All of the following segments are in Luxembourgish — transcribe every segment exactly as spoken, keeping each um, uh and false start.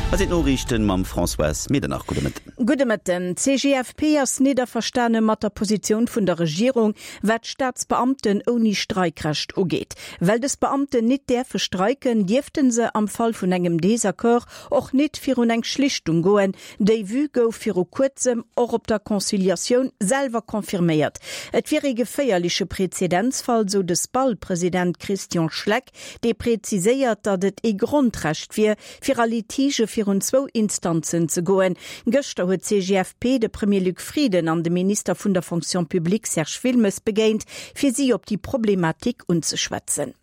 Hei sinn d'Noriichten mam Françoise Medernach. Gudde Mëtten. Gudde Mëtten. D'CGFP ass nit averstane mat der Positioun vun der Regierung, wat d'Staatsbeamten ouni Streikrecht ugeet. Well dës Beamten nit däerfe streiken, dierfte se am Fall vun engem Desaccord och nit virun eng Schlichtung goen. Déi Vue gouf viru kuerzem och op der Conciliatioun selwer confirméiert. Et wier ee geféierleche Prezedenzfall, sou de SPAL-President Christian Schleck, dee präziséiert, datt et ee Grondrecht wier, fir a Litigë virun zwou Instanzen ze goen. Gëschter huet d'CGFP de Premier Luc Frieden an de Minister vun der Fonction publique Serge Wilmes begéint, fir si op déi Problematik unzeschwätzen.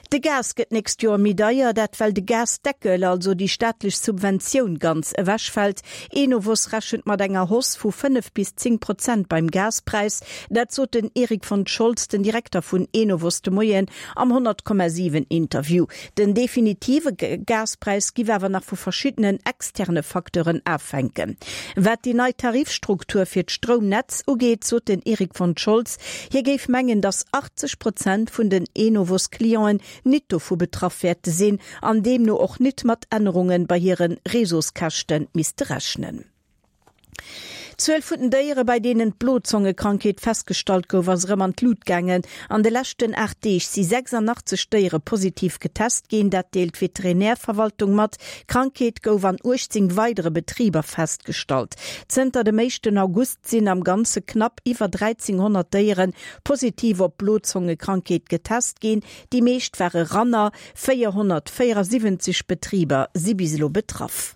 De Gas gëtt d'nächst Joer méi deier, dat well de Gasdeckel, also déi staatlech Subventioun, ganz ewechfält. Enovos rechent mat enger Hausse vu fënnef bis zéng Prozent beim Gaspräis. Dat sot den Eric von Scholz, den Direkter vun Enovos de Moien am honnert Komma siwen Interview. Den definitive Gaspräis giff awer nach vu verschiddenen externe Facteuren afhänken. Wat déi nei Tarifstruktur fir d'Stroumnetz ugeet, sot den Eric von Scholz, hie géif mengen, datt achtzeg Prozent vun den Enovos-Clienten nit dovu betraff wäerte sinn an deemno och nit mat Ännerunge bei hire Réseauskäschte misste rechnen. D'Zuel vun den Déiere bei deenen d'Blozongekrankheet festgestallt gouf, ass erëm an d'Lut gaangen. An de leschten aacht Deeg si sechsundachtzeg Déiere positiv getest ginn, dat deelt d'Veterinärverwaltung mat. D'Krankheet gouf an uechtzéng weidere Betriber festgestallt. Zënter dem éischten August sinn am Ganze knapp iwwer dräizehnhonnert Déiere positiv op d'Blozongekrankheet getest ginn. Déi meescht ware Ranner, véierhonnertvéierasiwwenzeg Betriber si bis elo betraff.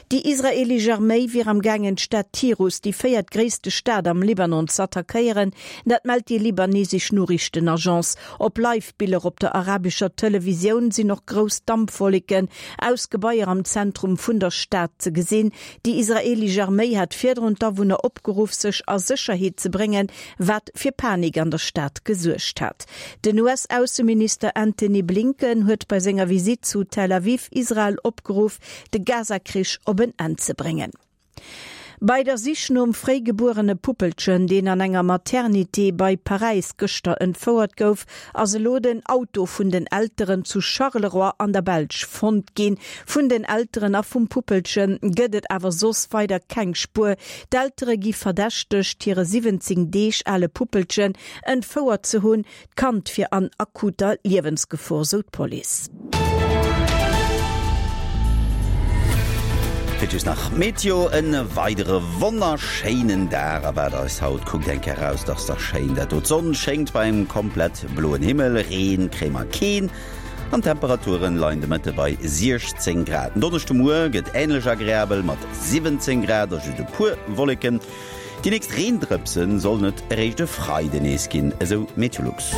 Déi israeelesch Arméi wier am gaangen d'Stad Tirus, déi véiertgréisste Stad am Libanon, z'attackéieren. Dat mellt déi libanesesch Noriichtenagence. Op Live-Biller op der arabescher Televisioun sinn och grouss Dampwolleken aus Gebaier am Zentrum vun der Stad ze gesinn. Déi israeelesch Arméi hat virdrun d'Awunner opgeruff, sech a Sécherheet ze bréngen, wat fir Panik an der Stad gesuergt hat. Den U S-Ausseminister Antony Blinken huet bei senger Visitt zu Tel Aviv Israel opgeruff, de Gaza-Krich op en Enn ze bréngen. Bei der Sich nom fréigebuerene Puppelchen, deen an enger Maternité bei Paräis gëschter entfouert gouf, ass elo den Auto vun den Elteren zu Charleroi an der Belsch fonnt ginn. Vun den Elteren a vum Puppelche gëtt et awer soss weider keng Spuer. D'Eltere gi verdächtegt, hire siwwenzéng Deeg ale Puppelchen entfouert ze hunn. D'Kand wier an akuter Liewensgefor, sou d'Police. Fir just nach Meteo, En weidere wonnerschéinen Dag erwaart eis haut. Kuckt eng Kéier eraus, 't ass dach schéin dat do. D'Sonn schéngt bei engem komplett bloen Himmel, Reen kréie mer keen an d'Temperaturen leien de Mëtte bei siechzéng Grad. Den Donneschdemuer gëtt änlech agreabel mat siwwenzéng Grad a just e puer Wolleken. Déi nächst Reendrëpse sollen et eréischt e Freide nees ginn, esou Meteolux.